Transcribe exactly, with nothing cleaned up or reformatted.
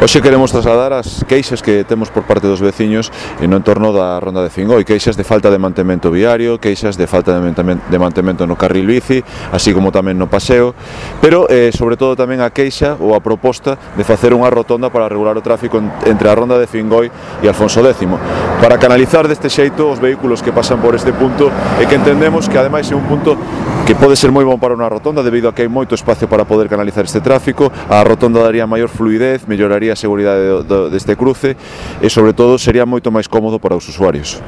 Hoxe queremos trasladar as queixas que temos por parte dos veciños no entorno da Ronda de Fingoi, queixas de falta de mantemento viario, queixas de falta de mantemento no carril bici, así como tamén no paseo, pero eh, sobre todo tamén a queixa ou a proposta de facer unha rotonda para regular o tráfico entre a Ronda de Fingoi e Alfonso décimo, para canalizar deste xeito os vehículos que pasan por este punto e que entendemos que ademais é un punto que pode ser moi bon para unha rotonda debido a que hai moito espacio para poder canalizar este tráfico. A rotonda daría maior fluidez, melloraría a seguridade do, do, deste cruce e sobre todo sería moito máis cómodo para os usuarios.